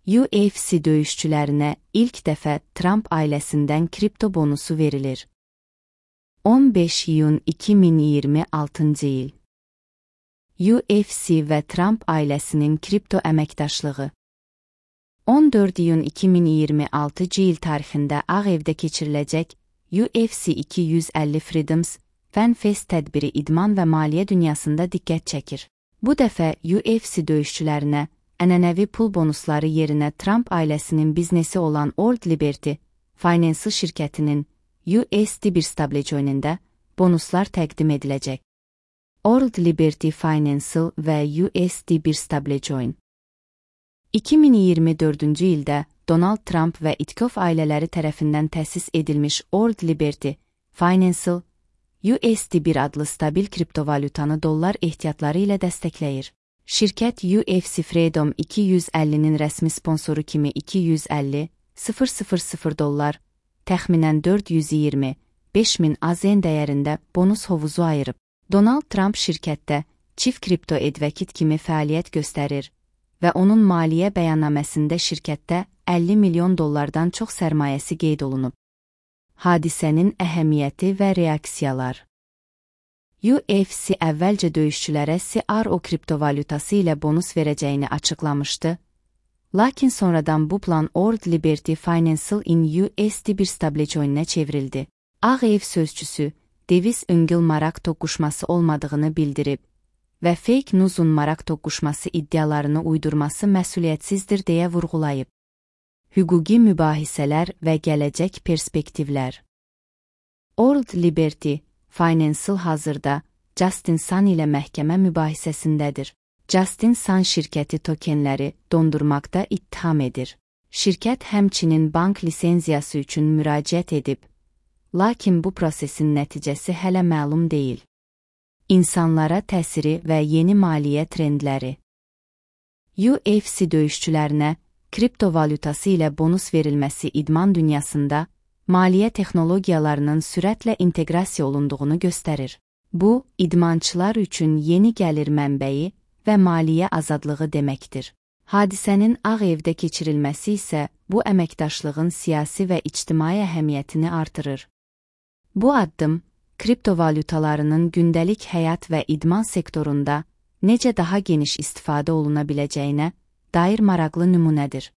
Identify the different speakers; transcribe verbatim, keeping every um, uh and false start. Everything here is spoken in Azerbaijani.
Speaker 1: U F C döyüşçülərinə ilk dəfə Trump ailəsindən kripto bonusu verilir. on beş iyun iki min iyirmi altıncı il. U F C və Trump ailəsinin kripto əməkdaşlığı. on dörd iyun iki min iyirmi altıncı il tarixində Ağ Evdə keçiriləcək U F C iki yüz əlli Freedoms Fan Fest tədbiri idman və maliyyə dünyasında diqqət çəkir. Bu dəfə U F C döyüşçülərinə ənənəvi pul bonusları yerinə Trump ailəsinin biznesi olan Old Liberty Financial şirkətinin U S D bir stablecoinində bonuslar təqdim ediləcək. Old Liberty Financial və U S D bir stablecoin. iki min iyirmi dördüncü ildə Donald Trump və İtkov ailələri tərəfindən təsis edilmiş Old Liberty Financial U S D bir adlı stabil kriptovalyutanı dollar ehtiyatları ilə dəstəkləyir. Şirkət U F C Freedom iki yüz əllinin rəsmi sponsoru kimi iki yüz əlli min dollar, təxminən dörd yüz iyirmi beş min A Z N dəyərində bonus hovuzu ayırıb. Donald Trump şirkətdə Chief Crypto Advocate kimi fəaliyyət göstərir və onun maliyyə bəyannaməsində şirkətdə əlli milyon dollardan çox sərmayəsi qeyd olunub. Hadisənin əhəmiyyəti və reaksiyalar. U F C əvvəlcə döyüşçülərə C R O kriptovalyutası ilə bonus verəcəyini açıqlamışdı, lakin sonradan bu plan Old Liberty Financial in U S D bir stablecoinə çevrildi. Ağ Ev sözçüsü Devis Öngül maraq toqquşması olmadığını bildirib və fake news'un maraq toqquşması iddialarını uydurması məsuliyyətsizdir deyə vurğulayıb. Hüquqi mübahisələr və gələcək perspektivlər. Old Liberty Financial hazırda Justin Sun ilə məhkəmə mübahisəsindədir. Justin Sun şirkəti tokenləri dondurmaqda ittiham edir. Şirkət həmçinin bank lisenziyası üçün müraciət edib, lakin bu prosesin nəticəsi hələ məlum deyil. İnsanlara təsiri və yeni maliyyə trendləri. U F C döyüşçülərinə kriptovalyutası ilə bonus verilməsi idman dünyasında maliyyə texnologiyalarının sürətlə inteqrasiya olunduğunu göstərir. Bu, idmançılar üçün yeni gəlir mənbəyi və maliyyə azadlığı deməkdir. Hadisənin Ağ Evdə keçirilməsi isə bu əməkdaşlığın siyasi və ictimai əhəmiyyətini artırır. Bu addım, kriptovalyutalarının gündəlik həyat və idman sektorunda necə daha geniş istifadə oluna biləcəyinə dair maraqlı nümunədir.